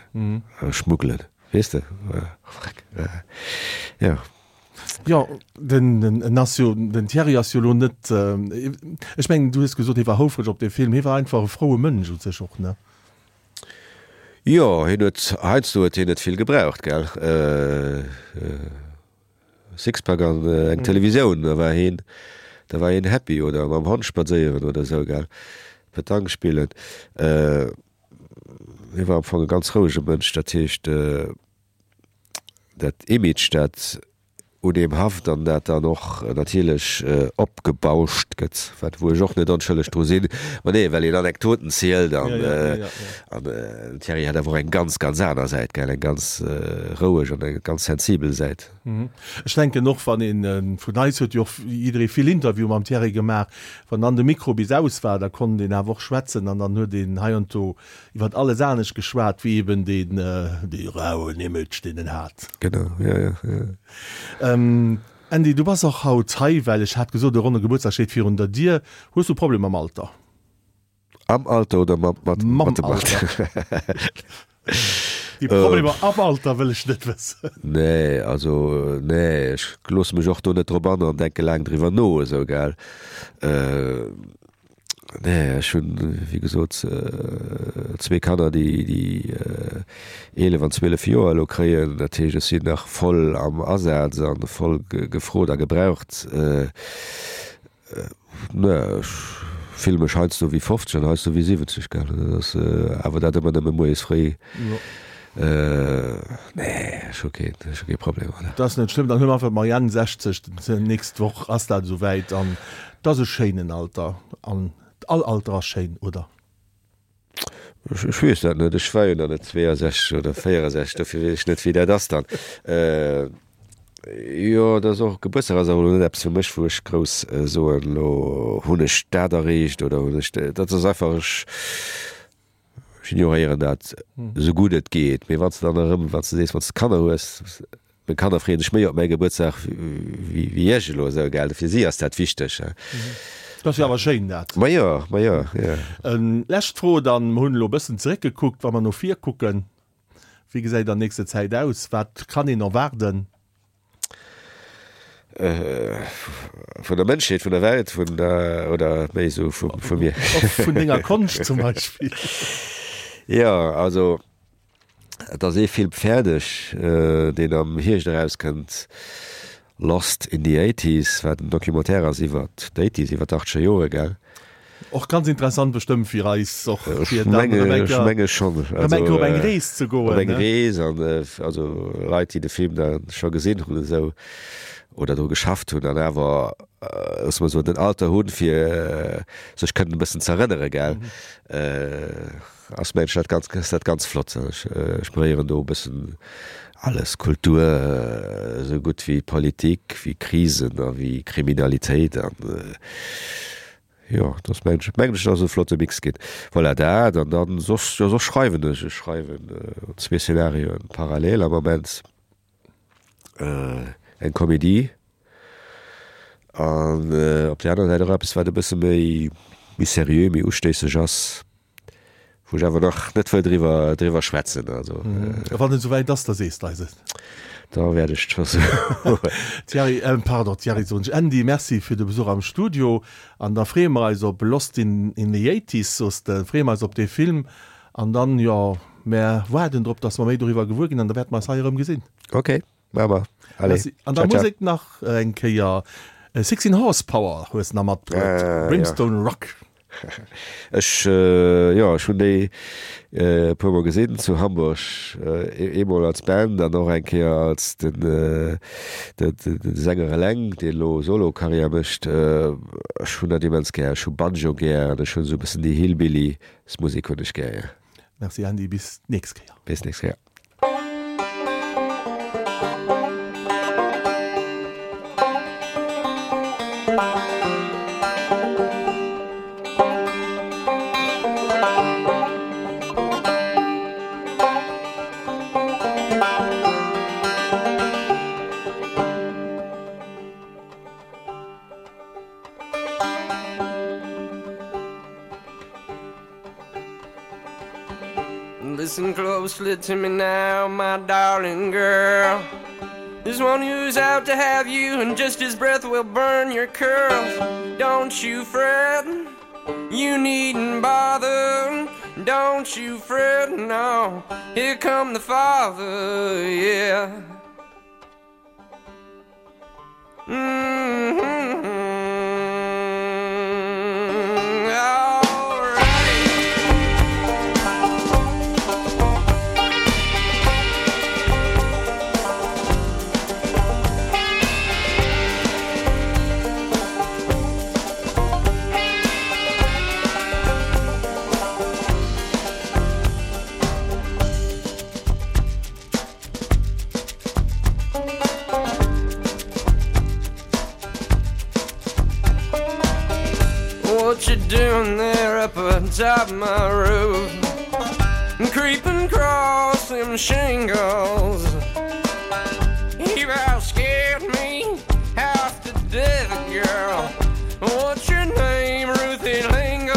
schmuggelen, weess de, freck, jo. Jo, den, den, en ass jo, den Thierry ass jo elo net, ech mengen, du hues gesot, hie war houfreg op dee Film, hie war einfach e froue Mënsch u sech och, ne? Jo, hien huet, heiansdo huet hien net vill gebraucht, gell. Sixpack an eng Televisioun, da war hien, da war hien happy oder mam Hond spadséieren oder esou, gell, Petanque spillen. Hie war am Fong e ganz rouege Mënsch, dat heescht, dat Image, dat un deem haft an dat dann och natierlech opgebauscht gëtt, wat wou ech och net onschëlleg dru sinn, ma nee, well een Anekdoten zielt an an den Thierry hat awer och eng ganz, ganz aner Säit, gell, eng ganz roueg an eng ganz sensibel Säit. Ech denken och, wann een, vun eis huet jo och jidderee vill Interviewe mam Thierry gemaach, wann dann de Mikro bis aus war, da konnt een awer och schwätzen an dann huet een heiansdo iwwert alles anescht geschwat wéi eben deen, dee rauen Image, deen en hat. Genau, jo, jo, jo. Ähm, Andy, du bass och haut hei, well ech hat gesot, e ronne Gebuertsdag steet virun der Dier. Hues du Problemer mam Alter? Am Alter oder mat, mat, Mam mat dem Alter. Alter? Déi Problemer am Alter wëll ech net wëssen. Nee, also nee, ech loosse mech och do net drop an an denke laang driwwer no, esou, gell. Äh, nee, ech hunn, wéi gesot, zwee Kanner, déi, déi eelef an zwielef Joer elo kréien. Dat heescht, ech sinn nach voll am Asaz a voll gefrot a gebraucht. Nee, ech fille mech heiansdo wéi fofzeg an heiansdo wéi siwwenzeg, gell. Dat ass awer dat ëmmer nëmme moies fréi. Nee, ech hu keen, ech hu kee Problem, voilà. Dat ass net schlëmm, dann hu mer einfach d'Marianne sechzeg, d'nächst Woch ass dat esouwäit an dat ass e schéinen Alter an all Alter ass schéin, oder? Ech, ech weess dat net, ech war jo nach net zweeënsechzeg oder véierensechzeg, dofir weess ech net, wéi dat ass dann. Jo, dat ass och, Gebuertsdag ass awer elo net eppes fir mech, wou ech grouss soen, elo hunn ech dat erreecht oder hunn ech, dat ass einfach, ech, ech ignoréieren dat esou gutt et geet. Mee wann s de dann erëm, wann s de sees, wann s de Kanner hues, meng Kanner freeën sech méi op mäi Gebuertsdag wéi wéi ech elo esou, gell, fir si ass dat wichteg. Dat ass jo awer schéin dat. Ma jo, ma jo, jo. Lescht Fro dann, mer hunn elo e bëssen zeréckgekuckt, wa mer no vir kucken, wéi gesäit dann nächste Zäit aus, wat kann een erwaarden? Vun der Mënschheet, vun der Welt, vun der, oder méi esou vu vu mir? Och vun denger Konscht zum Beispill. Jo, also et ass ee Film fäerdeg, deen am Hierscht erauskënnt, Lost in the Eighties, wat en Documentaire ass iwwert d'Eighties, iwwert d'Achtzeger Jore, gell? Och ganz interessant bestëmmt fir eis och fir dann rëm eng Kéier, menge schonn rëm eng Kéier op eng Rees ze goen, op eng Rees an also Leit déi de Film da scho gesinn hunn esou oder dru geschafft hunn an awer loosse mer soen den Alter hunn fir sech kënnen e bëssen z'erënnere gell ass mengen ech dat ganz ass dat ganz flott. Ech ech beréieren do e bëssen alles, Kultur esou gutt wéi Politik, wéi Krisen a wéi Kriminalitéit an Jo, dass mengen ech, mengen ech, dass e flotte Mix ginn. Voilà, dat an dann soss, jo soss schreiwen ech, ech schreiwen zwee Szenarioen parallel am Moment, eng Komedie an op där anerer Säit och eppes wat e bësse méi, méi seriö, méi ustéisseg ass. Wou ech awer nach net wëll driwwer, driwwer schwätzen. Also, A wann et esouwäit ass, da sees de eis et. Da wäert ech et scho soen. Thierry, pardon, Thierry soen ech, Andy, Merci fir de Besuch am Studio. An da freeë mer eis op Lost in, in the Eighties, soos de, freeë mer eis op dee Film. An dann, jo, mär waarden drop, dass mer méi doriwwer gewuer ginn an da wäerte mer eis hei erëm gesinn. Ok, maache mer. Allez, Merci. An der ciao, ciao. Musek nach eng Kéier Sixteen Horsepower hues de nach matbruet, Ah, jo. Brimstone Rock. Ech, jo, ech hunn déi e puer mol gesinn zu Hamburg, eemol als Band an och eng Kéier als den, de Sänger eleng, deen elo Solo-Karriär mécht. Ech hunn dat immens gär. Ech hu Banjo gär an ech hunn esou e bëssen déi Hillbilly-s-Musek hunn ech gär, jo. Merci Andy, bis d'nächst Kéier. Bis d'nächst Kéier. Listen closely to me now, my darling girl. There's one who's out to have you, and just his breath will burn your curls. Don't you fret, you needn't bother. Don't you fret no, here come the father, yeah. Mm-hmm. All right. What you doing there up atop my roof? Creeping across them shingles. You about scared me half to death, girl. What's your name, Ruthie Lingle?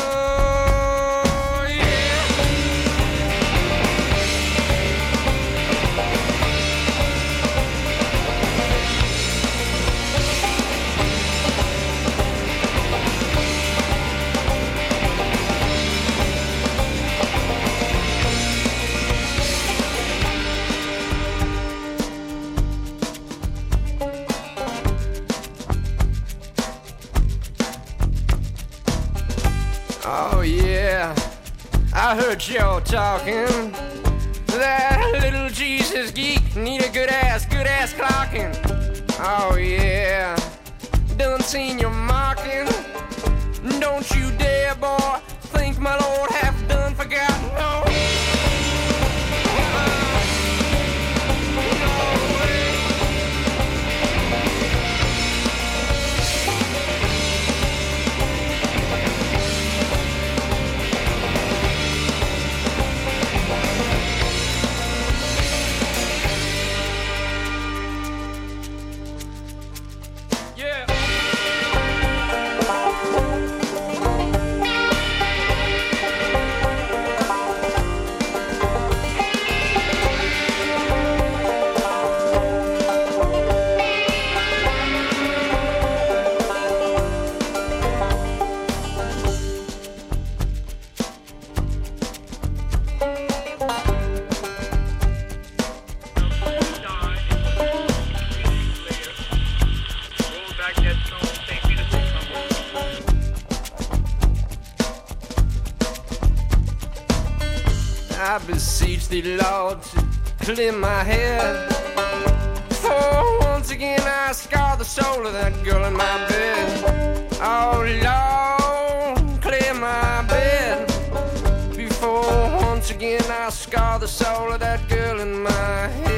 Yeah. Oh yeah, I heard y'all talking. That little Jesus geek need a good ass, good ass clocking. Oh yeah, done seen your mocking. Don't you dare, boy, think my lord half done forgot. No. No way. Yeah. Roll back that stone, St. Peter's will come. I beseech thee, Lord, to clear my head. For once again I scar the soul of that girl in my bed. Oh Lord, clear my bed. Before once again I scar the soul of that girl in my head.